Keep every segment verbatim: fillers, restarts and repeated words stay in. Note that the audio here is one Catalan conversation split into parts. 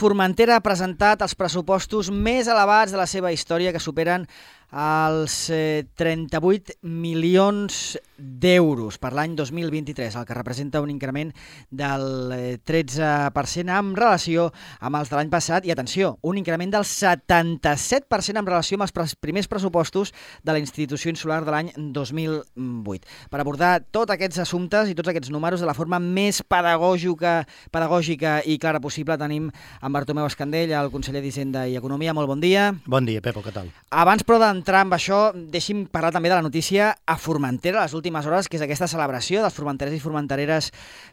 Formentera ha presentat els pressupostos més elevats de la seva història, que superen els eh, trenta-vuit milions d'euros per l'any dos mil vint-i-tres, el que representa un increment del eh, tretze per cent en relació amb els de l'any passat. I atenció, un increment del setanta-set per cent en relació amb els pres primers pressupostos de la institució insular de l'any dos mil vuit. Per abordar tots aquests assumptes i tots aquests números de la forma més pedagògica, pedagògica i clara possible, tenim en Bartomeu Escandell, el conseller d'Hisenda i Economia. Molt bon dia. Bon dia, Pepo, què tal? Abans, però, d'entrar amb això, deixi'm parlar també de la notícia a Formentera les últimes hores, que és aquesta celebració dels formenterers i formentereres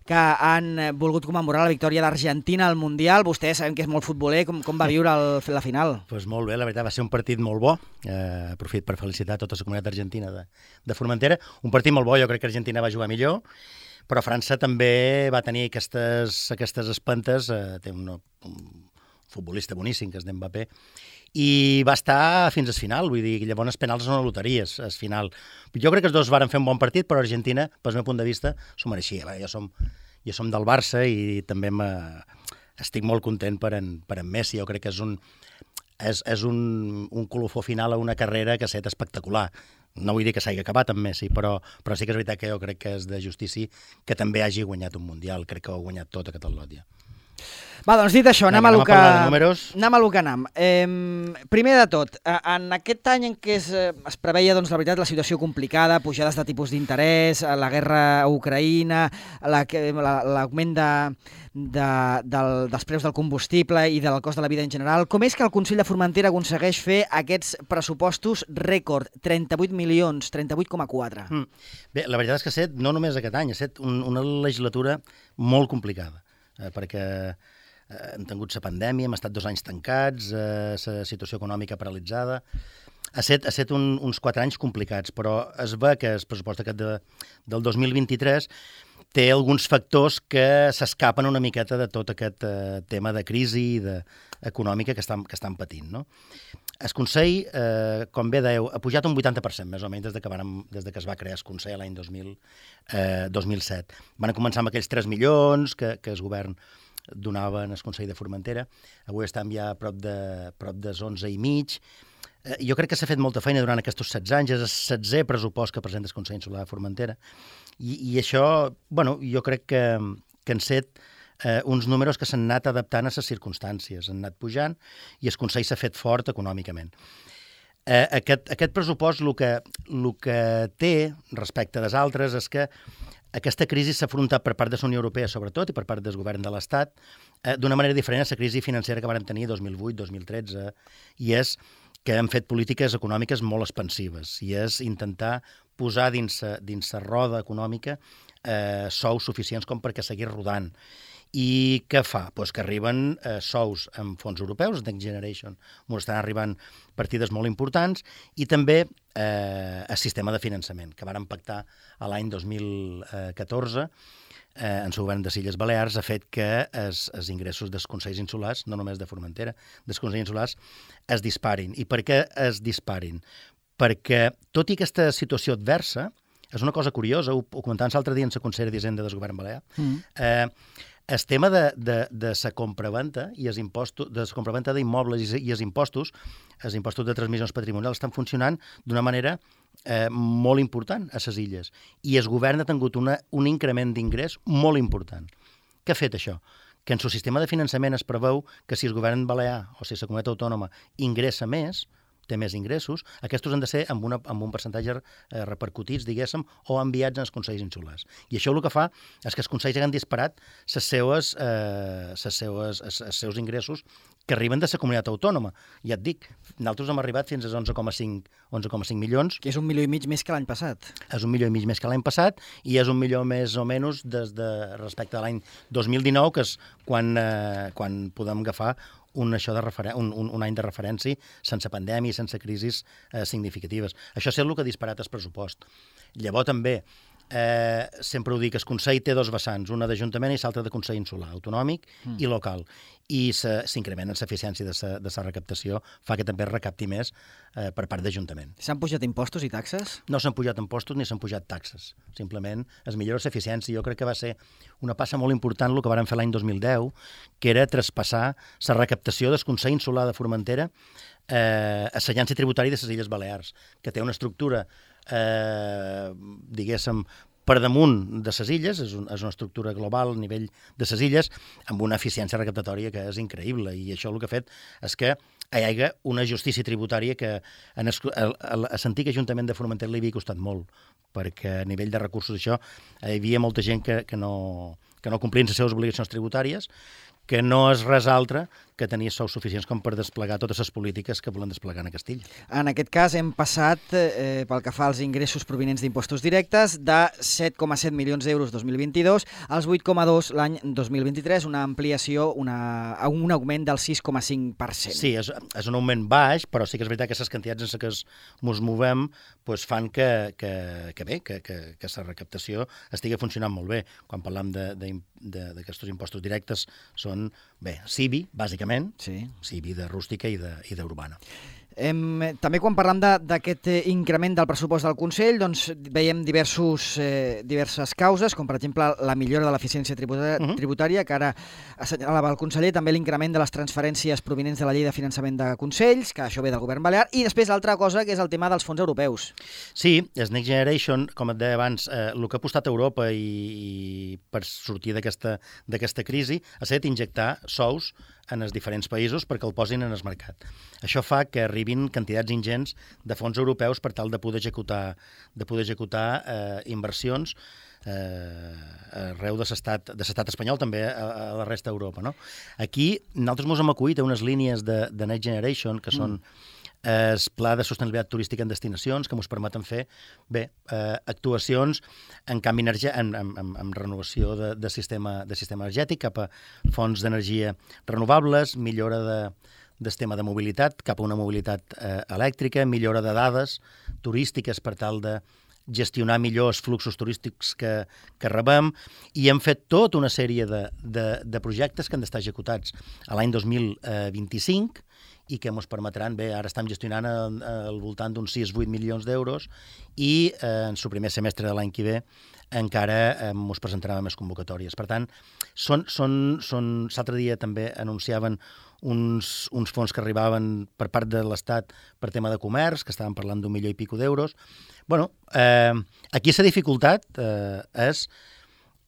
que han volgut commemorar la victòria d'Argentina al Mundial. Vostè sabem que és molt futboler. Com, com va viure el, la final? Pues molt bé, la veritat, va ser un partit molt bo. Eh, aprofit per felicitar tota la comunitat argentina de, de Formentera. Un partit molt bo, jo crec que Argentina va jugar millor, però França també va tenir aquestes, aquestes espentes. Eh, té un, un futbolista boníssim, que és d'Mbappé, i va estar fins al final, vull dir, llavors els penals són una loteria, al final. Jo crec que els dos varen fer un bon partit, però Argentina, pel meu punt de vista, s'ho mereixia. Bé, jo, som, jo som del Barça i també estic molt content per en, per en Messi. Jo crec que és un, és, és un, un colofó final a una carrera que ha estat espectacular. No vull dir que s'hagi acabat amb Messi, però, però sí que és veritat que jo crec que és de justícia que també hagi guanyat un Mundial. Crec que ho ha guanyat tot a Catalunya. Va, doncs dit això, anem, Vinga, a lo que, anem a lo que anem. Eh, primer de tot, en aquest any en què es, es preveia, doncs, la veritat, la situació complicada, pujades de tipus d'interès, la guerra a Ucraïna, l'augment de, de, del, dels preus del combustible i del cost de la vida en general, com és que el Consell de Formentera aconsegueix fer aquests pressupostos rècord, trenta-vuit milions, trenta-vuit coma quatre? Mm. Bé, la veritat és que ha estat, no només aquest any, ha estat un, una legislatura molt complicada, eh, perquè hem tingut la pandèmia, hem estat dos anys tancats, eh, la situació econòmica paralitzada. Ha estat, ha estat un, uns quatre anys complicats, però es ve que el pressupost aquest de, del dos mil vint-i-tres té alguns factors que s'escapen una miqueta de tot aquest eh, tema de crisi de, econòmica que estan, que estan patint, no? El Consell, eh, com bé dèieu, ha pujat un vuitanta per cent, més o menys, des de que, van, des de que es va crear el Consell l'any dos mil set. Van començar amb aquells tres milions que, que el govern donava en el Consell de Formentera. Avui estem ja a prop de, prop de onze i mig. Eh, jo crec que s'ha fet molta feina durant aquests setze anys. És el setzè pressupost que presenta el Consell Insular de Formentera. I, i això, bueno, jo crec que, que han set eh, uns números que s'han anat adaptant a les circumstàncies, han anat pujant i el Consell s'ha fet fort econòmicament. Eh, aquest, aquest pressupost el que, el que té respecte dels altres és que aquesta crisi s'ha afrontat per part de la Unió Europea, sobretot, i per part del govern de l'Estat, eh, d'una manera diferent a la crisi financera que van tenir dos mil vuit dos mil tretze, i és que han fet polítiques econòmiques molt expansives, i és intentar posar dins la roda econòmica eh, sous suficients com perquè seguir rodant. I què fa? Pues que arriben eh, sous amb fons europeus, Next Generation, on estan arribant partides molt importants, i també eh, el sistema de finançament, que van pactar l'any dos mil catorze eh, en el govern de Illes Balears, ha fet que els, els ingressos dels consells insulars, no només de Formentera, dels consells insulars, es disparin. I per què es disparin? Perquè, tot i aquesta situació adversa, és una cosa curiosa, ho, ho comentàvem l'altre dia en la consellera d'Hisenda del govern balear, mm. eh, el tema de, de, de la compraventa i els impostos, de la compraventa d'immobles i, i els impostos, els impostos de transmissions patrimonials estan funcionant d'una manera eh, molt important a les illes. I el govern ha tingut una, un increment d'ingrés molt important. Què ha fet això? Que en el sistema de finançament es preveu que si el govern balear o si la comunitat autònoma ingressa més, té més ingressos, aquests han de ser amb, una, amb un percentatge eh, repercutits, diguéssim, o enviats als consells insulars. I això el que fa és que els consells han disparat les seues, eh, les seues, els, els seus ingressos que arriben de la comunitat autònoma. Ja et dic, nosaltres hem arribat fins a onze coma cinc milions. Que és un milió i mig més que l'any passat. És un milió i mig més que l'any passat i és un milió més o menys des de, respecte a l'any dos mil dinou, que és quan, eh, quan podem agafar un, això de referen un, un, un any de referència sense pandèmia i sense crisis eh, significatives. Això és el que ha disparat el pressupost. Llavors també Eh, sempre ho dic, el Consell té dos vessants, una d'Ajuntament i l'altra de Consell Insular, autonòmic mm. i local. I s'incrementen l'eficiència de la recaptació, fa que també es recapti més eh, per part d'Ajuntament. S'han pujat impostos i taxes? No s'han pujat impostos ni s'han pujat taxes. Simplement es millora l'eficiència. Jo crec que va ser una passa molt important el que vàrem fer l'any dos mil deu, que era traspassar la recaptació del Consell Insular de Formentera eh, a l'Agència Tributària de les Illes Balears, que té una estructura Eh, diguéssim, per damunt de les illes, és, un, és una estructura global a nivell de les illes, amb una eficiència recaptatòria que és increïble, i això el que ha fet és que hi hagi una justícia tributària que en es, a, a, a l'antic Ajuntament de Formentera li havia costat molt, perquè a nivell de recursos això hi havia molta gent que, que, no, que no complien les seves obligacions tributàries, que no és res altre que tenir sous suficients com per desplegar totes les polítiques que volen desplegar a Castilla. En aquest cas hem passat, eh, pel que fa als ingressos provinents d'impostos directes, de set coma set milions d'euros dos mil vint-i-dos als vuit coma dos l'any dos mil vint-i-tres, una ampliació, una, un augment del sis coma cinc per cent. Sí, és, és un augment baix, però sí que és veritat que les quantitats en què ens movem pues, fan que, que, que bé, que, que, que la recaptació estigui funcionant molt bé. Quan parlam d'aquests impostos directes són, bé, C I B I, bàsicament, sí. C I B I de rústica i d'urbana. Em, també quan parlam d'aquest increment del pressupost del Consell, doncs veiem diversos, eh, diverses causes, com per exemple la millora de l'eficiència tributària, uh -huh. tributària, que ara assenyalava el conseller, també l'increment de les transferències provinents de la llei de finançament de Consells, que això ve del govern balear, i després l'altra cosa, que és el tema dels fons europeus. Sí, el Next Generation, com et deia abans, eh, el que ha apostat Europa i, i per sortir d'aquesta crisi ha estat injectar sous en els diferents països perquè el posin en el mercat. Això fa que arribin quantitats ingents de fons europeus per tal de poder executar, de poder executar eh, inversions eh, arreu de l'estat de l'estat espanyol, també a, a la resta d'Europa. No? Aquí nosaltres ens hem acollit a unes línies de, de Next Generation que són mm. el pla de sostenibilitat turística en destinacions, que ens permeten fer bé, eh, actuacions en canvi energia, en, en, en, en renovació de, de, sistema, de sistema energètic cap a fonts d'energia renovables, millora de, del tema de mobilitat cap a una mobilitat eh, elèctrica, millora de dades turístiques per tal de gestionar millor els fluxos turístics que, que rebem, i hem fet tota una sèrie de, de, de projectes que han d'estar executats a l'any dos mil vint-i-cinc i que ens permetran, bé, ara estem gestionant al, al voltant d'uns sis a vuit milions d'euros i eh, en el primer semestre de l'any que ve encara eh, ens presentaran més convocatòries. Per tant, són, són, són, l'altre dia també anunciaven uns, uns fons que arribaven per part de l'Estat per tema de comerç, que estaven parlant d'un milió i pico d'euros. Bueno, eh, aquí la dificultat eh, és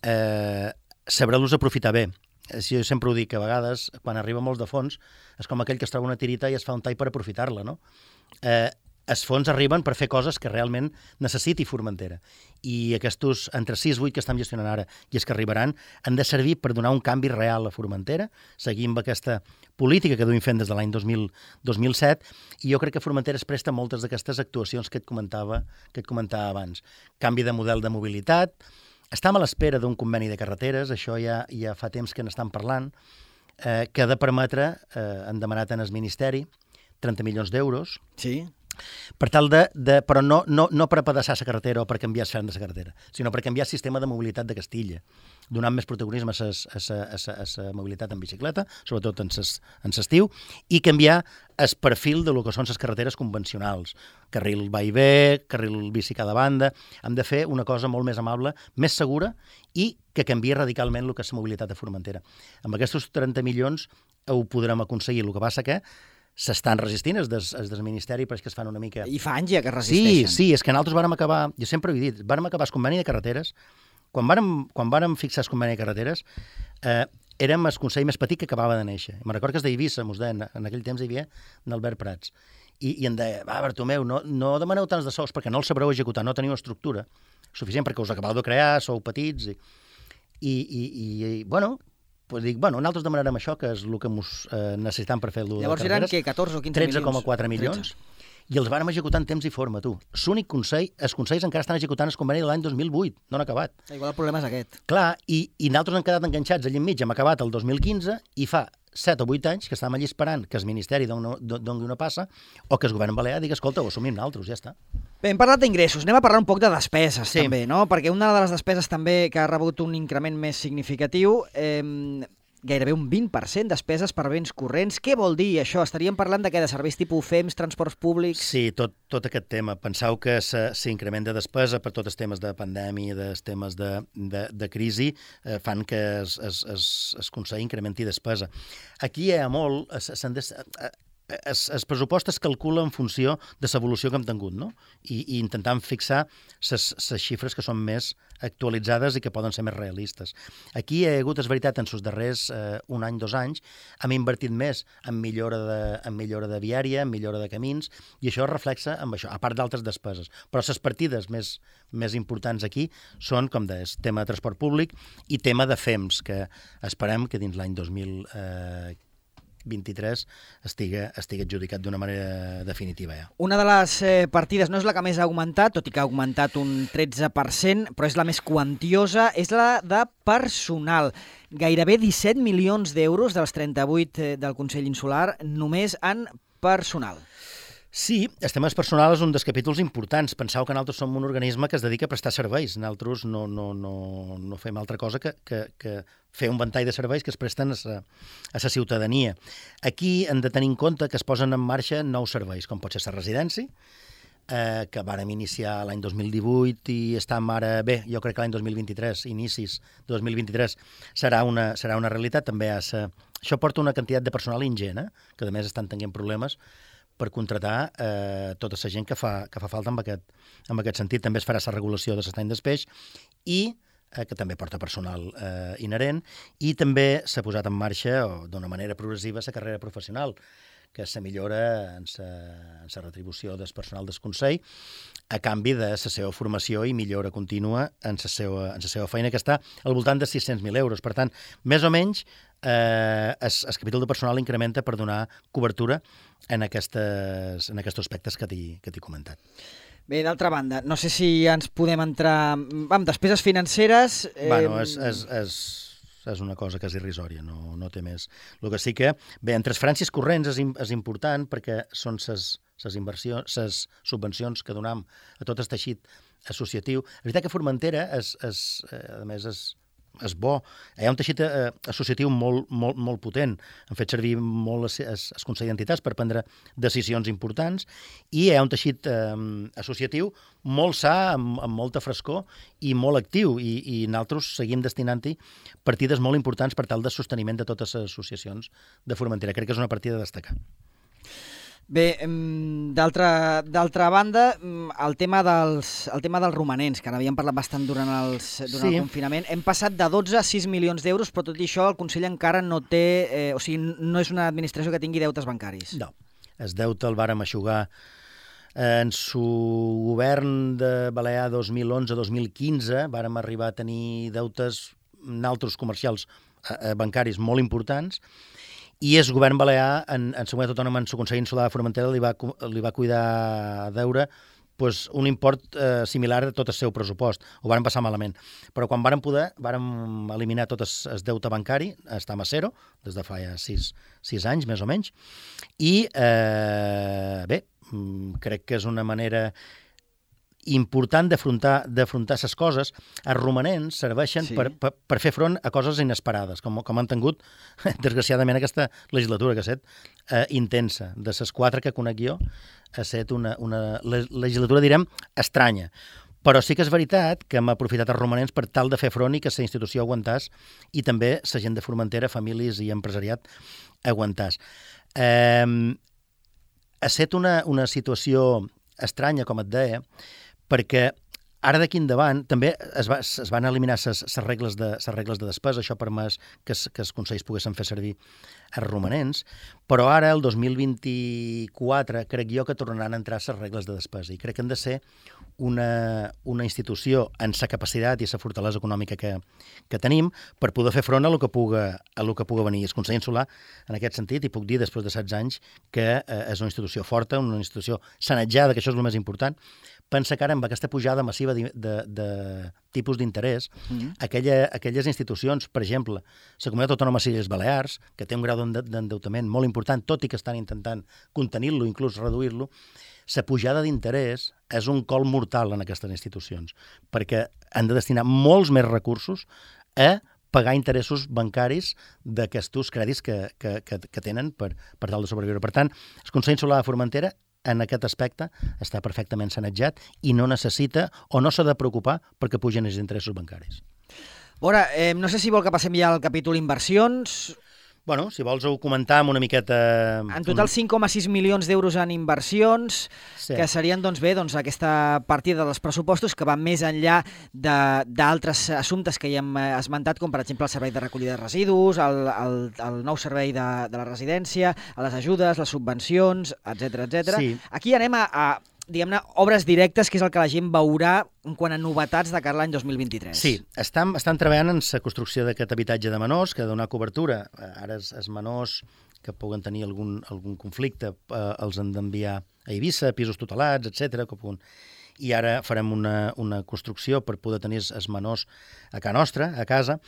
eh, saber-los aprofitar bé. Jo sempre ho dic, que a vegades, quan arriba molts de fons, és com aquell que es troba una tirita i es fa un tall per aprofitar-la, no? Eh, els fons arriben per fer coses que realment necessiti Formentera. I aquests entre sis i vuit que estem gestionant ara i els que arribaran han de servir per donar un canvi real a Formentera, seguint amb aquesta política que duim fent des de l'any dos mil set, i jo crec que Formentera es presta moltes d'aquestes actuacions que et comentava, que et comentava abans. Canvi de model de mobilitat, estem a l'espera d'un conveni de carreteres, això ja, ja fa temps que n'estan parlant, eh, que ha de permetre, eh, han demanat en el Ministeri, trenta milions d'euros, sí. per tal de, de però no, no, no per apedaçar la carretera o per canviar el ferm de la carretera, sinó per canviar el sistema de mobilitat de Castilla, donant més protagonisme a la mobilitat en bicicleta, sobretot en l'estiu, i canviar el perfil de lo que són les carreteres convencionals. Carril va i ve, carril bici cada banda. Hem de fer una cosa molt més amable, més segura i que canvia radicalment el que és la mobilitat de Formentera. Amb aquests trenta milions ho podrem aconseguir. El que passa que s'estan resistint els des, els del Ministeri, però és que es fan una mica... I fa anys ja que resisteixen. Sí, sí, és que nosaltres vàrem acabar, jo sempre ho he dit, vàrem acabar el conveni de carreteres, quan vàrem, quan vàrem fixar el conveni de carreteres, eh, érem el consell més petit que acabava de néixer. Me'n recordo que és d'Eivissa, mos deien, en aquell temps hi havia Albert Prats, i, i em deia, va, Bartomeu, no, no demaneu tants de sous perquè no els sabreu executar, no teniu estructura suficient perquè us acabeu de crear, sou petits, i, i, i, i bueno... Pues dic, bueno, nosaltres demanarem això, que és el que ens eh, necessitem per fer-lo de Llavors eren, què, catorze o quinze milions? tretze coma quatre milions. I els vàrem executar en temps i forma, tu. L'únic consell, els consells encara estan executant el conveni de l'any dos mil vuit, no han acabat. Igual el problema és aquest. Clar, i, i nosaltres hem quedat enganxats allà enmig, hem acabat el dos mil quinze, i fa set o vuit anys que estàvem allà esperant que el Ministeri doni una passa o que el govern balear digui, escolta, ho assumim nosaltres, ja està. Bé, hem parlat d'ingressos, anem a parlar un poc de despeses, Sí. també, no? Perquè una de les despeses també que ha rebut un increment més significatiu, eh, gairebé un vint per cent despeses per béns corrents. Què vol dir això? Estaríem parlant de què? De serveis tipus F E Ms, transports públics? Sí, tot, tot aquest tema. Penseu que s'increment de despesa per tots els temes de pandèmia, dels temes de, de, de crisi, eh, fan que es, es, es, es aconsegueixi incrementi despesa. Aquí hi ha molt... S'han de, Es, es pressupost es calcula en funció de l'evolució que hem tingut, no? I, i intentant fixar les xifres que són més actualitzades i que poden ser més realistes. Aquí hi ha hagut, és veritat, en els darrers eh, un any, dos anys, hem invertit més en millora de, en millora de viària, en millora de camins, i això es reflexa amb això, a part d'altres despeses. Però les partides més, més importants aquí són, com deies, tema de transport públic i tema de F E Ms, que esperem que dins l'any dos mil vint-i-tres estigui, estigui adjudicat d'una manera definitiva ja. Una de les eh, partides no és la que més ha augmentat, tot i que ha augmentat un tretze per cent, però és la més quantiosa, és la de personal. Gairebé disset milions d'euros dels trenta-vuit eh, del Consell Insular només en personal. Sí, el tema personal és un dels capítols importants. Penseu que nosaltres som un organisme que es dedica a prestar serveis. Nosaltres no, no, no, no fem altra cosa que, que, que fer un ventall de serveis que es presten a la a sa ciutadania. Aquí hem de tenir en compte que es posen en marxa nous serveis, com pot ser la residència, eh, que vàrem iniciar l'any dos mil divuit i estem ara... Bé, jo crec que l'any dos mil vint-i-tres, inicis de dos mil vint-i-tres, serà una, serà una realitat. També a sa... Això porta una quantitat de personal ingent, eh? Que a més estan tenint problemes per contratar eh, tota la gent que fa, que fa falta en aquest, en aquest sentit. També es farà la regulació de l'estany d'espeix i eh, que també porta personal eh, inherent, i també s'ha posat en marxa d'una manera progressiva la carrera professional, que se millora en la retribució del personal del Consell a canvi de la seva formació i millora contínua en la seva, en la seva feina, que està al voltant de sis-cents mil euros. Per tant, més o menys, eh, el, el capítol de personal incrementa per donar cobertura en, aquestes, en aquests aspectes que t'he comentat. Bé, d'altra banda, no sé si ens podem entrar amb despeses financeres... Eh... Bueno, és, és, és, és una cosa que és irrisòria, no, no té més. El que sí que, bé, en transferències corrents és, és important perquè són les inversions, les subvencions que donem a tot el teixit associatiu. La veritat que Formentera, és, és, a més, és, és bo. Hi ha un teixit eh, associatiu molt, molt, molt potent. Han fet servir molt el Consell d'Entitats per prendre decisions importants, i hi ha un teixit eh, associatiu molt sa, amb, amb molta frescor i molt actiu, i, i nosaltres seguim destinant-hi partides molt importants per tal de sosteniment de totes les associacions de Formentera. Crec que és una partida a destacar. Bé, d'altra d'altra banda, el tema, dels, el tema dels romanents, que n'havíem parlat bastant durant, els, durant sí. el confinament, hem passat de dotze a sis milions d'euros, però tot i això el Consell encara no té, eh, o sigui, no és una administració que tingui deutes bancaris. No, el deute el vàrem eixugar en su govern de Balear dos mil onze dos mil quinze, vàrem arribar a tenir deutes altres comercials eh, bancaris molt importants, i el govern balear, en, en la comunitat autònoma, en el Consell Insular de Formentera, li va, li va cuidar a deure pues, un import eh, similar a tot el seu pressupost. Ho varen passar malament. Però quan varen poder, varen eliminar tot el deute bancari, estem a zero, des de fa ja sis, sis anys, més o menys, i eh, bé, crec que és una manera important d'afrontar d'afrontar les coses. Els romanents serveixen sí. per, per, per fer front a coses inesperades, com, com han tingut, desgraciadament, aquesta legislatura, que ha estat eh, intensa. De les quatre que conec jo, ha estat una, una legislatura, direm, estranya. Però sí que és veritat que hem aprofitat els romanents per tal de fer front i que la institució aguantàs, i també la gent de Formentera, famílies i empresariat, aguantàs. Eh, ha estat una, una situació estranya, com et deia, perquè ara d'aquí endavant també es, va, es van eliminar les regles, de, regles de despesa, això ha permès que, que els consells poguessin fer servir els romanents, però ara, el dos mil vint-i-quatre, crec jo que tornaran a entrar les regles de despesa, i crec que han de ser una, una institució en sa capacitat i sa fortalesa econòmica que, que tenim per poder fer front a lo que puga, a lo que puga venir. El Consell Insular, en aquest sentit, i puc dir després de setze anys, que eh, és una institució forta, una institució sanejada, que això és el més important, pensa que ara amb aquesta pujada massiva de, de, de tipus d'interès, mm-hmm. aquella, aquelles institucions, per exemple, la Comunitat Autònoma de les Illes Balears, que té un grau d'endeutament molt important, tot i que estan intentant contenir-lo, inclús reduir-lo, la pujada d'interès és un col mortal en aquestes institucions, perquè han de destinar molts més recursos a pagar interessos bancaris d'aquests crèdits que, que, que, que tenen per, per tal de sobreviure. Per tant, el Consell Insular de Formentera en aquest aspecte està perfectament sanejat i no necessita o no s'ha de preocupar perquè pugen els interessos bancaris. Veure, eh, no sé si vol que passem ja al capítol inversions. Bueno, si vols ho comentar amb una miqueta... En total cinc coma sis milions d'euros en inversions, sí. que serien doncs, bé, doncs, aquesta partida dels pressupostos que va més enllà d'altres assumptes que ja hem esmentat, com per exemple el servei de recollida de residus, el, el, el nou servei de, de la residència, les ajudes, les subvencions, etcètera, etcètera. Sí. Aquí anem a... a diguem-ne, obres directes, que és el que la gent veurà en quant a novetats de cara a l'any dos mil vint-i-tres. Sí, estan, estan treballant en la construcció d'aquest habitatge de menors, que ha de donar cobertura. Ara els, els menors que puguen tenir algun, algun conflicte eh, els han d'enviar a Eivissa, pisos tutelats, etcètera. I ara farem una, una construcció per poder tenir els menors a casa nostra, a casa.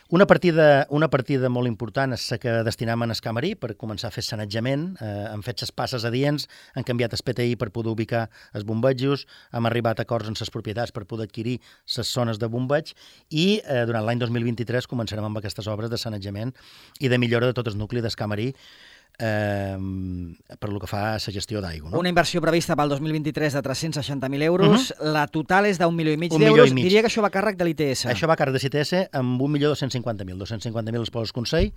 Una partida, una partida molt important és la que destinem en el Camarí per començar a fer sanejament. Eh, hem fet les passes adients, han canviat el P T I per poder ubicar els bombejos, hem arribat a acords amb les propietats per poder adquirir les zones de bombeig i eh, durant l'any dos mil vint-i-tres començarem amb aquestes obres de sanejament i de millora de tot el nucli del Camarí, Eh, per lo que fa a la gestió d'aigua. No? Una inversió prevista pel dos mil vint-i-tres de tres-cents seixanta mil euros, uh-huh. la total és d'un milió i mig d'euros, diria que això va a càrrec de l'I T S. Això va a càrrec de l'I T S amb un milió dos-cents cinquanta mil. dos-cents cinquanta mil els posa el Consell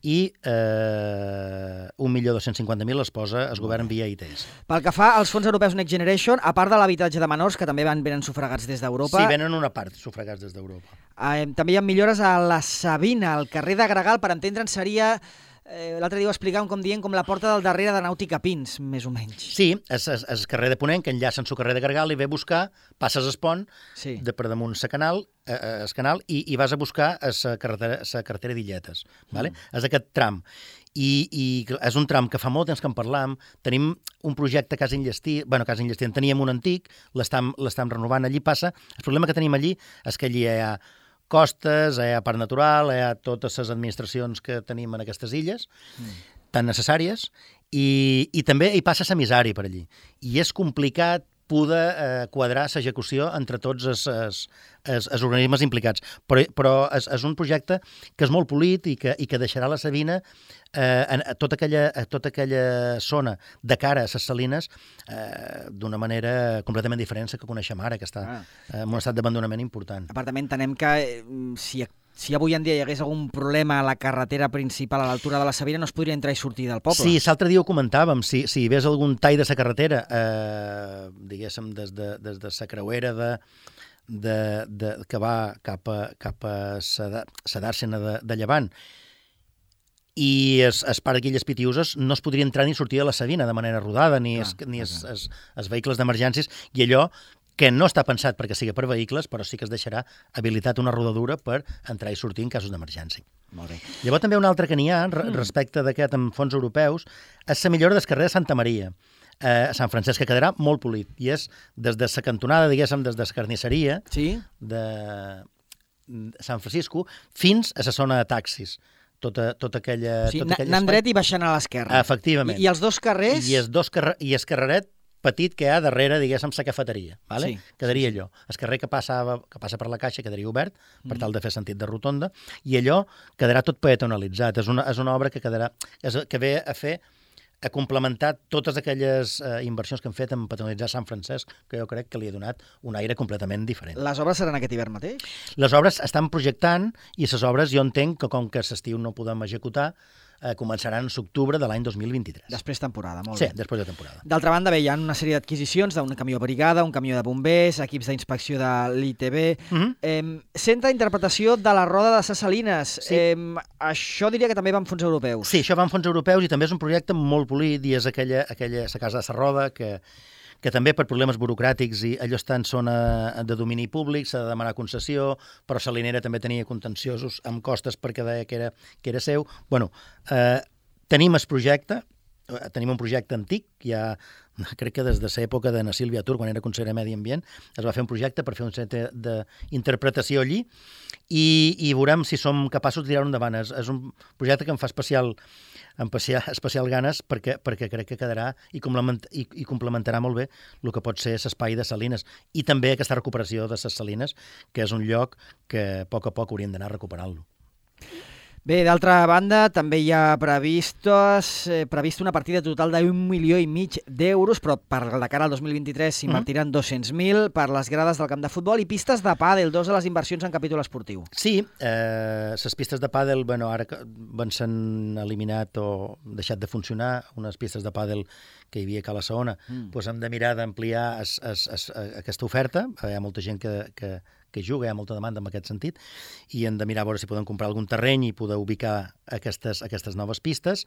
i eh, un milió dos-cents cinquanta mil els posa el govern via I T S. Pel que fa als fons europeus Next Generation, a part de l'habitatge de menors, que també van venen sufragats des d'Europa... Sí, venen una part sufragats des d'Europa. Eh, també hi ha millores a la Sabina, al carrer de Gregal, per entendre'n seria... Eh, l'altre dia ho explicàvem com dient com la porta del darrere de Nàutica Pins, més o menys. Sí, és el carrer de Ponent, que enllaça en el carrer de Gregal i ve a buscar, passes el pont, sí. de per damunt el canal, eh, el canal i, i vas a buscar la carretera, carretera d'Illetes. Vale? Mm. És aquest tram. I, I és un tram que fa molt temps que en parlam. Tenim un projecte a Casa Enllestí, bueno, Casa Enllestí en teníem un antic, l'estam renovant, allí passa. El problema que tenim allí és que allí hi ha costes, hi ha parc natural, hi ha totes les administracions que tenim en aquestes illes, mm. tan necessàries, i, i també hi passa l'emissari per allí. I és complicat poder eh, quadrar l'execució entre tots els, els, els, els organismes implicats. Però, però és, és un projecte que és molt polit i que, i que deixarà la Sabina eh, en a tota, aquella, a tota aquella zona de cara a les salines eh, d'una manera completament diferent que coneixem ara, que està ah. en un estat d'abandonament important. A part, també entenem que eh, si Si avui en dia hi hagués algun problema a la carretera principal a l'altura de la Sabina, no es podria entrar i sortir del poble. Sí, l'altre dia ho comentàvem. Si, si hi hagués algun tall de la carretera, eh, diguéssim, des de, des de la creuera de, de, de, que va cap a, cap a la dàrsena de, de Llevant, i es, es parc d'Illes Pitiuses no es podria entrar ni sortir de la Sabina de manera rodada, ni, ah, es, ni es, es, es vehicles d'emergències, i allò que no està pensat perquè sigui per vehicles, però sí que es deixarà habilitat una rodadura per entrar i sortir en casos d'emergència. Molt bé. Llavors també un altre que n'hi ha, respecte d'aquest amb fons europeus, és la millora del carrer de Santa Maria, eh, a Sant Francesc, que quedarà molt polit, i és des de la cantonada, diguéssim, des de la carnisseria sí? de Sant Francisco fins a la zona de taxis. Tota, tota aquella... Sí, tota anant dret i baixant a l'esquerra. Efectivament. I, I els dos carrers... I el dos carrer, i el carreret petit que hi ha darrere, diguéssim, la cafeteria. Vale? Sí, quedaria sí, sí. allò. El carrer que passa, que passa per la caixa quedaria obert, per mm. tal de fer sentit de rotonda, i allò quedarà tot peatonalitzat. És una, és una obra que quedarà, és, que ve a fer a complementar totes aquelles eh, inversions que han fet en peatonalitzar Sant Francesc, que jo crec que li ha donat un aire completament diferent. Les obres seran aquest hivern mateix? Les obres estan projectant, i les obres jo entenc que com que l'estiu no podem executar, eh, començaran en l'octubre de l'any dos mil vint-i-tres. Després temporada, molt sí, bé. Sí, després de temporada. D'altra banda, bé, hi ha una sèrie d'adquisicions d'un camió brigada, un camió de bombers, equips d'inspecció de l'I T B, mm-hmm. eh, centre d'interpretació de la Roda de ses Salines. Sí. Eh, això diria que també va amb fons europeus. Sí, això va amb fons europeus i també és un projecte molt polit i és aquella, aquella la casa de la Roda que que també per problemes burocràtics i allò està en zona de domini públic, s'ha de demanar concessió, però Salinera també tenia contenciosos amb costes perquè deia que era, que era seu. Bueno, eh, tenim el projecte tenim un projecte antic, ja crec que des de l'època de na Sílvia Tur, quan era conseller de Medi Ambient, es va fer un projecte per fer un centre d'interpretació allí i, i veurem si som capaços de tirar-ho endavant. És, és un projecte que em fa especial, em fa especial ganes perquè, perquè crec que quedarà i, complement, i, i complementarà molt bé el que pot ser l'espai de Salines i també aquesta recuperació de les Salines, que és un lloc que a poc a poc hauríem d'anar recuperant-lo. Bé, d'altra banda, també hi ha previstos, eh, previst una partida total d'un milió i mig d'euros, però per de cara al dos mil vint-i-tres s'invertiran mm-hmm. dos-cents mil per les grades del camp de futbol i pistes de pàdel, dos de les inversions en capítol esportiu. Sí, eh, les pistes de pàdel, bueno, ara van s'han eliminat o deixat de funcionar, unes pistes de pàdel que hi havia a Cala Saona, mm. doncs hem de mirar d'ampliar es, es, es, aquesta oferta. Hi ha molta gent que, que, que juga, hi ha molta demanda en aquest sentit, i hem de mirar a veure si podem comprar algun terreny i poder ubicar aquestes, aquestes noves pistes.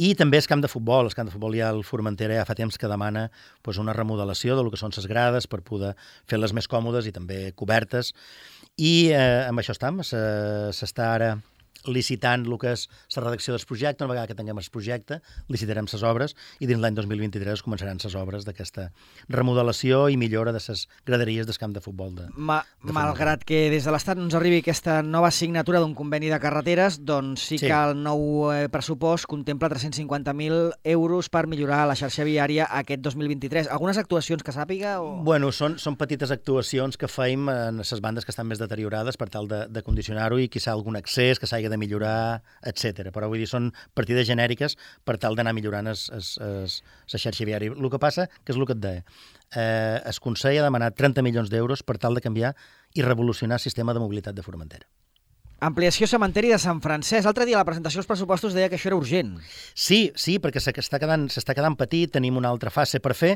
I també el camp de futbol. El camp de futbol ja al Formentera ja fa temps que demana doncs, una remodelació del que són les grades per poder fer-les més còmodes i també cobertes. I eh, amb això estem. S'està ara licitant el que és la redacció del projecte. Una vegada que tinguem el projecte, licitarem les obres i dins l'any dos mil vint-i-tres començaran les obres d'aquesta remodelació i millora de les graderies del camp de futbol. De, Ma, de malgrat que des de l'Estat no ens arribi aquesta nova signatura d'un conveni de carreteres, doncs sí, sí. que el nou eh, pressupost contempla tres-cents cinquanta mil euros per millorar la xarxa viària aquest dos mil vint-i-tres. Algunes actuacions que sàpiga? O... Bueno, són, són petites actuacions que feim en les bandes que estan més deteriorades per tal de, de condicionar-ho i quizà algun accés que s'hagi de millorar, etcètera. Però vull dir, són partides genèriques per tal d'anar millorant es, es, es, la xarxa viària. El que passa, que és el que et deia, eh, el Consell ha demanat trenta milions d'euros per tal de canviar i revolucionar el sistema de mobilitat de Formentera. Ampliació cementeri de Sant Francesc. L'altre dia a la presentació dels pressupostos deia que això era urgent. Sí, sí, perquè s'està quedant, s'està quedant petit, tenim una altra fase per fer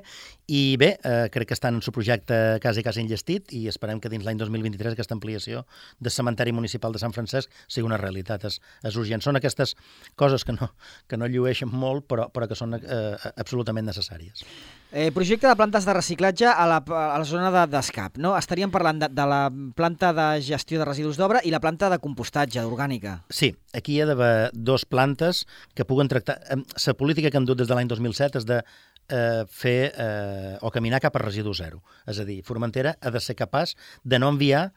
i bé, eh, crec que estan en el projecte quasi, quasi enllestit i esperem que dins l'any dos mil vint-i-tres aquesta ampliació del cementeri municipal de Sant Francesc sigui una realitat. És, és urgent. Són aquestes coses que no, que no llueixen molt però, però que són eh, absolutament necessàries. Eh, projecte de plantes de reciclatge a la, a la zona de, d'escap, no? Estaríem parlant de, de la planta de gestió de residus d'obra i la planta de compostatge, d'orgànica. Sí, aquí hi ha d'haver dos plantes que puguen tractar... La política que hem dut des de l'any dos mil set és de eh, fer eh, o caminar cap a residu zero. És a dir, Formentera ha de ser capaç de no enviar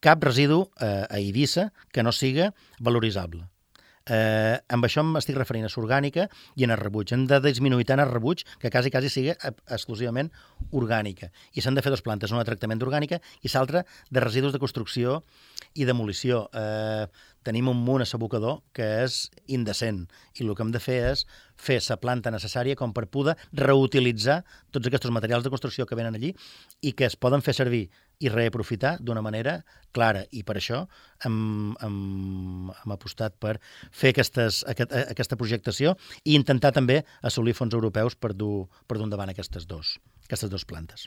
cap residu eh, a Eivissa que no siga valoritzable. Eh, amb això m'estic referint a l'orgànica i en el rebuig. Hem de disminuir tant el rebuig que quasi, quasi sigui exclusivament orgànica. I s'han de fer dues plantes, una de tractament d'orgànica i l'altra de residus de construcció i demolició. Eh, tenim un munt a l'abocador que és indecent i el que hem de fer és fer la planta necessària com per poder reutilitzar tots aquests materials de construcció que venen allí i que es poden fer servir i reaprofitar d'una manera clara. I per això hem, hem, hem apostat per fer aquestes, aquest, aquesta projectació i intentar també assolir fons europeus per dur, per dur endavant aquestes dos. aquestes dues plantes.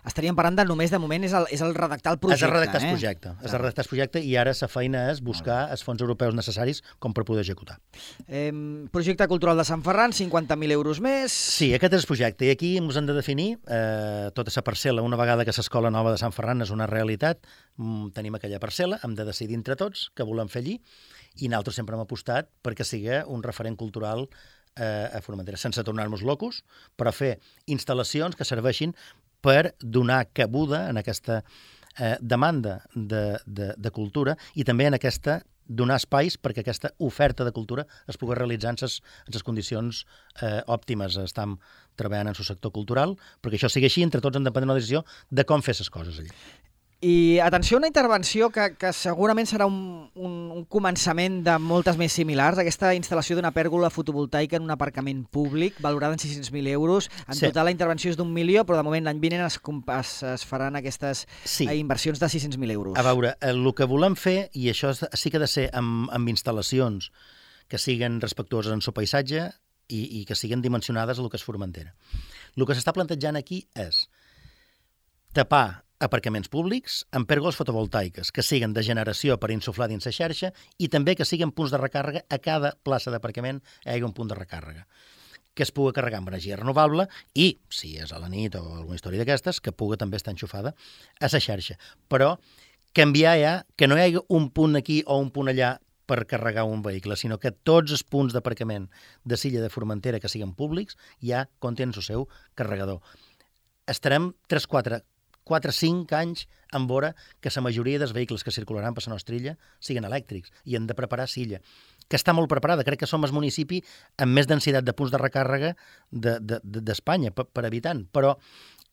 Estaríem parlant de només de moment és el, és el redactar el projecte. És el redactar el eh? projecte. És el redactar el projecte i ara la feina és buscar els fons europeus necessaris com per poder executar. Eh, projecte cultural de Sant Ferran, cinquanta mil euros més. Sí, aquest és el projecte. I aquí ens hem de definir eh, tota la parcel·la. Una vegada que l'escola nova de Sant Ferran és una realitat, tenim aquella parcel·la, hem de decidir entre tots què volem fer allí i nosaltres sempre hem apostat perquè sigui un referent cultural a Formentera, sense tornar-nos locos, però fer instal·lacions que serveixin per donar cabuda en aquesta eh, demanda de, de, de cultura i també en aquesta donar espais perquè aquesta oferta de cultura es pugui realitzar en ses, en ses condicions eh, òptimes. Estem treballant en el sector cultural perquè això sigui així, entre tots hem de prendre una decisió de com fer les coses allà. I atenció a una intervenció que, que segurament serà un, un, un començament de moltes més similars, aquesta instal·lació d'una pèrgola fotovoltaica en un aparcament públic valorada en sis-cents mil euros. En sí. Total la intervenció és d'un milió, però de moment l'any vinent es, es, es faran aquestes sí. inversions de sis-cents mil euros. A veure, el que volem fer, i això sí que ha de ser amb, amb instal·lacions que siguin respectuoses en el seu paisatge i, i que siguin dimensionades a el que és Formentera. El que s'està plantejant aquí és tapar aparcaments públics amb pèrgoles fotovoltaiques que siguin de generació per insuflar dins la xarxa i també que siguin punts de recàrrega a cada plaça d'aparcament hi hagi un punt de recàrrega que es pugui carregar amb energia renovable i, si és a la nit o alguna història d'aquestes, que pugui també estar enxufada a la xarxa. Però canviar ja, que no hi hagi un punt aquí o un punt allà per carregar un vehicle, sinó que tots els punts d'aparcament de Silla de Formentera que siguin públics ja contenen el seu carregador. Estarem tres, quatre, quatre, cinc anys en vora que la majoria dels vehicles que circularan per la nostra illa siguin elèctrics i hem de preparar Silla, que està molt preparada. Crec que som el municipi amb més densitat de punts de recàrrega d'Espanya de, de, per, per habitant, però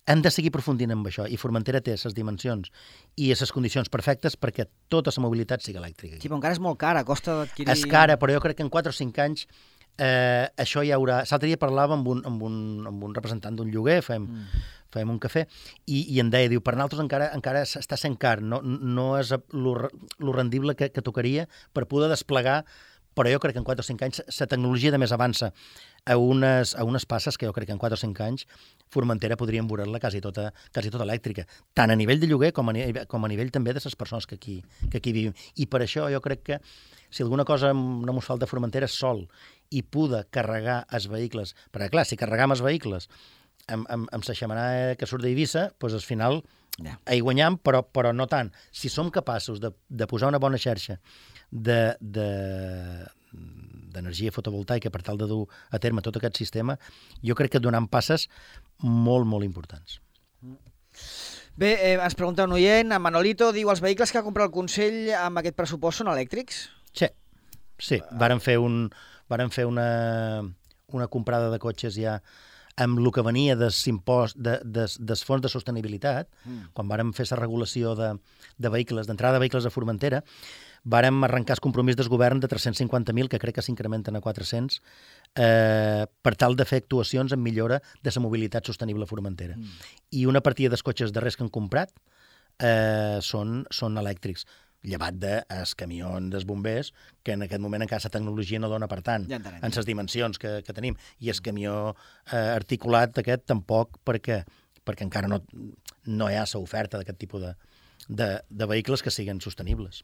hem de seguir aprofundint amb això, i Formentera té les dimensions i les condicions perfectes perquè tota la mobilitat sigui elèctrica. Sí, però encara és molt cara, costa d'adquirir... És cara, però jo crec que en quatre o cinc anys eh, això ja haurà... L'altre dia parlava amb un, amb un, amb un representant d'un lloguer, fem, mm. fem un cafè, i, i em deia, diu, per nosaltres encara, encara està sent car, no, no és lo rendible que, que tocaria per poder desplegar, però jo crec que en quatre o cinc anys la tecnologia de més avança a unes, a unes passes que jo crec que en quatre o cinc anys Formentera podríem veure-la quasi tota, quasi tota elèctrica, tant a nivell de lloguer com a, com a nivell també de les persones que aquí, que aquí vivim. I per això jo crec que si alguna cosa no ens falta a Formentera és sol i poder carregar els vehicles, perquè clar, si carregam els vehicles amb, amb, amb la xemenà que surt d'Eivissa, doncs al final yeah. hi guanyam, però, però no tant. Si som capaços de, de posar una bona xarxa de, de, d'energia fotovoltaica per tal de dur a terme tot aquest sistema, jo crec que donant passes molt, molt importants. Bé, eh, ens pregunta un oient, en Manolito diu, els vehicles que ha comprat el Consell amb aquest pressupost són elèctrics? Sí, sí. Varen fer, un, varen fer una, una comprada de cotxes ja amb el que venia des, impost, de, des, des fons de sostenibilitat, mm. quan vàrem fer la regulació de, de vehicles, d'entrada de vehicles a Formentera, vàrem arrencar el compromís del govern de tres-cents cinquanta mil, que crec que s'incrementen a quatre-cents, eh, per tal de fer actuacions en millora de la mobilitat sostenible a Formentera. Mm. I una partida dels cotxes darrers que han comprat eh, són, són elèctrics, llevat dels camions dels bombers, que en aquest moment encara la tecnologia no dona per tant, ja en les dimensions que, que tenim. I el camió eh, articulat aquest tampoc, perquè, perquè encara no, no hi ha l'oferta d'aquest tipus de, de, de vehicles que siguin sostenibles.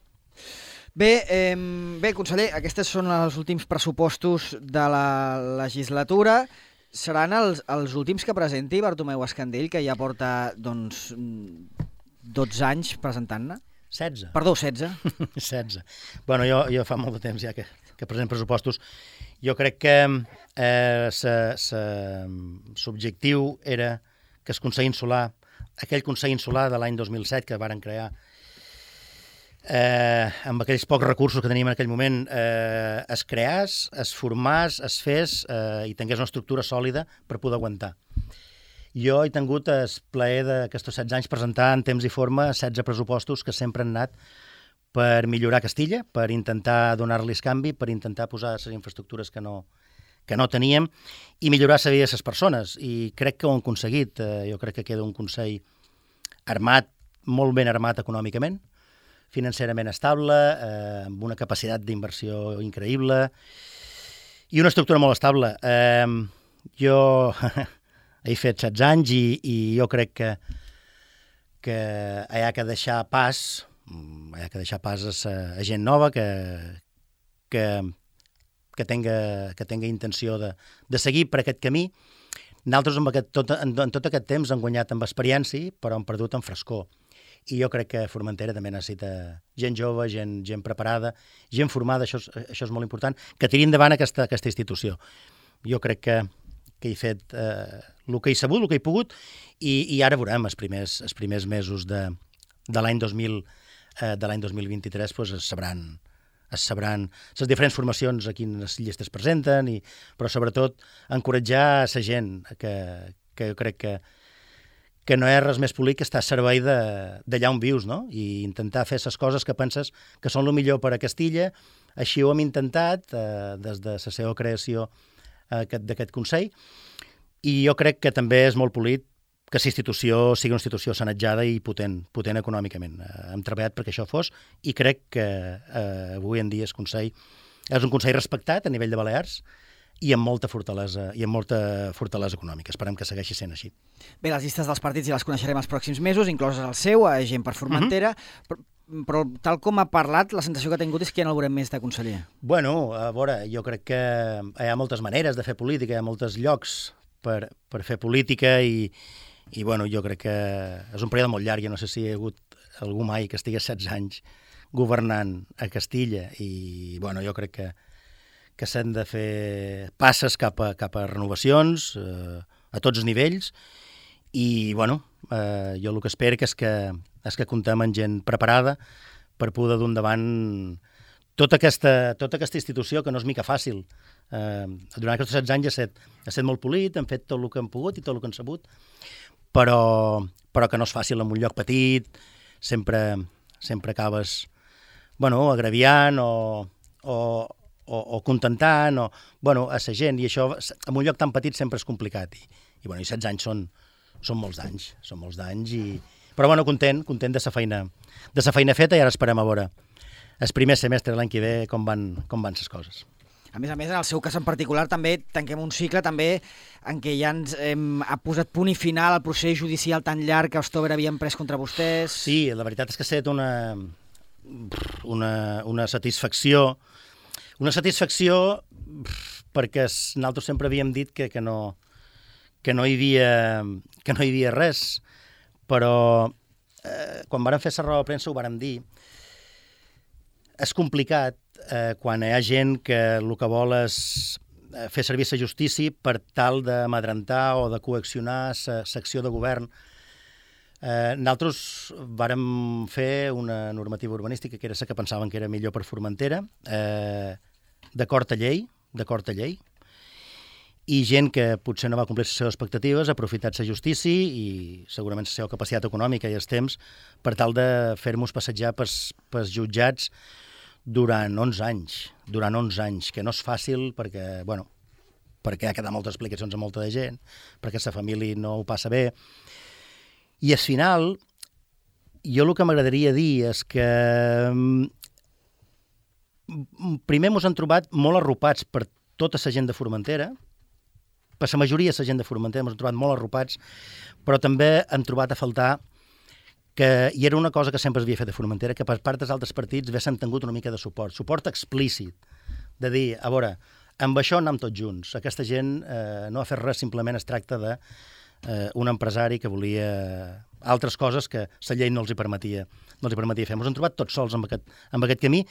Bé, eh, bé, conseller, aquests són els últims pressupostos de la legislatura. Seran els, els últims que presenti Bartomeu Escandell, que ja porta doncs, dotze anys presentant-ne? setze. Perdó, setze. setze. Bueno, jo, jo fa molt de temps ja que, que present pressupostos. Jo crec que eh, l'objectiu era que el Consell Insular, aquell Consell Insular de l'any dos mil set que varen crear, eh, amb aquells pocs recursos que teníem en aquell moment, eh, es creàs, es formàs, es fes eh, i tingués una estructura sòlida per poder aguantar. Jo he tingut el plaer d'aquests setze anys presentar en temps i forma setze pressupostos que sempre han anat per millorar Castilla, per intentar donar-los canvi, per intentar posar les infraestructures que no, que no teníem i millorar la vida de les persones. I crec que ho han aconseguit. Jo crec que queda un Consell armat, molt ben armat econòmicament, financerament estable, eh, amb una capacitat d'inversió increïble i una estructura molt estable. Eh, jo... he fet setze anys i, i jo crec que, que hi ha que deixar pas, hi ha que deixar pas a, a gent nova que, que, que, tenga, que tenga intenció de, de seguir per aquest camí. Nosaltres en, aquest, tot, en, en tot aquest temps hem guanyat amb experiència, però hem perdut en frescor. I jo crec que Formentera també necessita gent jove, gent, gent preparada, gent formada, això és, això és molt important, que tiri endavant aquesta, aquesta institució. Jo crec que que he fet eh, el que he sabut, el que he pogut, i, i ara veurem els primers, els primers mesos de, de l'any dos mil eh, de l'any dos mil vint-i-tres doncs es sabran, es sabran les diferents formacions a quines llistes presenten, i, però sobretot encoratjar a la gent que, que jo crec que, que no hi ha res més polit que estar a servei d'allà on vius, no? I intentar fer les coses que penses que són el millor per a Castilla. Així ho hem intentat eh, des de la seva creació d'aquest Consell, i jo crec que també és molt polit que la institució sigui una institució sanejada i potent, potent econòmicament. Hem treballat perquè això fos i crec que eh, avui en dia el Consell és un Consell respectat a nivell de Balears i amb molta fortalesa i amb molta fortalesa econòmica. Esperem que segueixi sent així. Bé, les llistes dels partits ja les coneixerem els pròxims mesos, incloses el seu, a Gent per Formentera, uh-huh. però però tal com ha parlat, la sensació que ha tingut és que ja no el veurem més de conseller. Bueno, a veure, jo crec que hi ha moltes maneres de fer política, hi ha molts llocs per, per fer política i, i bueno, jo crec que és un període molt llarg. Jo no sé si hi ha hagut algú mai que estigués setze anys governant a Castilla i bueno, jo crec que, que s'han de fer passes cap a, cap a renovacions eh, a tots els nivells i bueno, eh, jo el que espero que és que, és que comptem amb gent preparada per poder dur endavant tota aquesta, tota aquesta institució que no és mica fàcil. Eh, durant aquests setze anys ha estat, ha estat molt polit, hem fet tot el que hem pogut i tot el que hem sabut, però, però que no és fàcil en un lloc petit, sempre, sempre acabes bueno, agraviant o, o, o, o contentant o, bueno, a la gent, i això en un lloc tan petit sempre és complicat. I, i, bueno, i setze anys són, són molts d'anys, són molts d'anys, i... però bueno, content, content de la feina, de la feina feta, i ara esperem a veure el primer semestre l'any que ve com van, com van les coses. A més a més, en el seu cas en particular, també tanquem un cicle també en què ja ens hem ha posat punt i final al procés judicial tan llarg que Østover havia emprès contra vostès. Sí, la veritat és que ha estat una, una, una satisfacció, una satisfacció perquè nosaltres sempre havíem dit que, que, no, que, no hi havia, que no hi havia res, però eh, quan vàrem fer la roda de premsa ho vàrem dir. És complicat eh, quan hi ha gent que el que vol és fer servir la justícia per tal d'amedrentar o de coaccionar l'acció de govern. Eh, nosaltres vàrem fer una normativa urbanística que era la que pensaven que era millor per Formentera, eh, d'acord a llei, d'acord a llei, i gent que potser no va complir les seves expectatives ha aprofitat la justícia i segurament la seva capacitat econòmica i els temps per tal de fer-nos passejar pels, pels jutjats durant onze anys, durant onze anys, que no és fàcil perquè, bueno, perquè ha quedat moltes explicacions a molta de gent, perquè la família no ho passa bé. I al final, jo el que m'agradaria dir és que primer ens han trobat molt arropats per tota la gent de Formentera, per la majoria de la gent de Formentera ens han trobat molt arropats, però també hem trobat a faltar que, i era una cosa que sempre es havia fet a Formentera, que per part dels altres partits haguessin tingut una mica de suport, suport explícit, de dir, a veure, amb això anem tots junts, aquesta gent eh, no ha fet res, simplement es tracta de eh, un empresari que volia altres coses que la llei no els hi permetia, no els hi permetia fer. Ens hem trobat tots sols amb aquest, amb aquest camí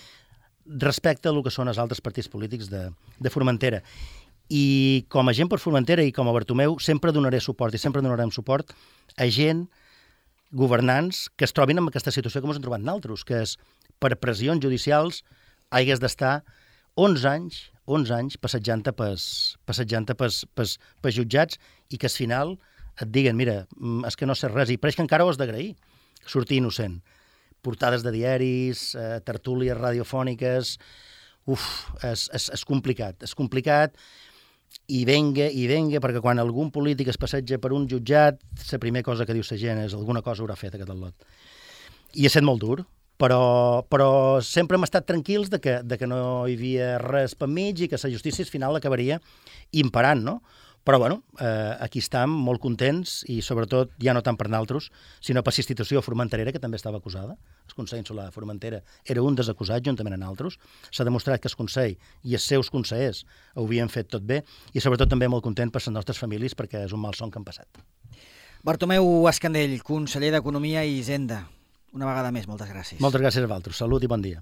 respecte al que són els altres partits polítics de, de Formentera. I com a gent per Formentera i com a Bartomeu sempre donaré suport i sempre donarem suport a gent governants que es trobin en aquesta situació que ens hem trobat nosaltres, que és per pressions judicials hagués d'estar onze anys, onze anys passejant-te pels, passejant-te pels, pels, pels jutjats i que al final et diguen, mira, és que no sé res, i pareix que encara ho has d'agrair, sortir innocent. Portades de diaris, eh, tertúlies radiofòniques, uf, és, és, és complicat, és complicat, i venga, i venga, perquè quan algun polític es passeja per un jutjat, la primera cosa que diu la gent és alguna cosa haurà fet aquest lot. I ha estat molt dur, però, però sempre hem estat tranquils de que, de que no hi havia res per mig i que la justícia al final acabaria imparant, no? Però, bueno, eh, aquí estem molt contents i, sobretot, ja no tant per nosaltres, sinó per la institució formenterera, que també estava acusada. El Consell Insular de Formentera era un dels acusats, juntament amb nosaltres. S'ha demostrat que el Consell i els seus consellers ho havien fet tot bé i, sobretot, també molt content per les nostres famílies perquè és un mal son que han passat. Bartomeu Escandell, conseller d'Economia i Hisenda. Una vegada més, moltes gràcies. Moltes gràcies a vosaltres. Salut i bon dia.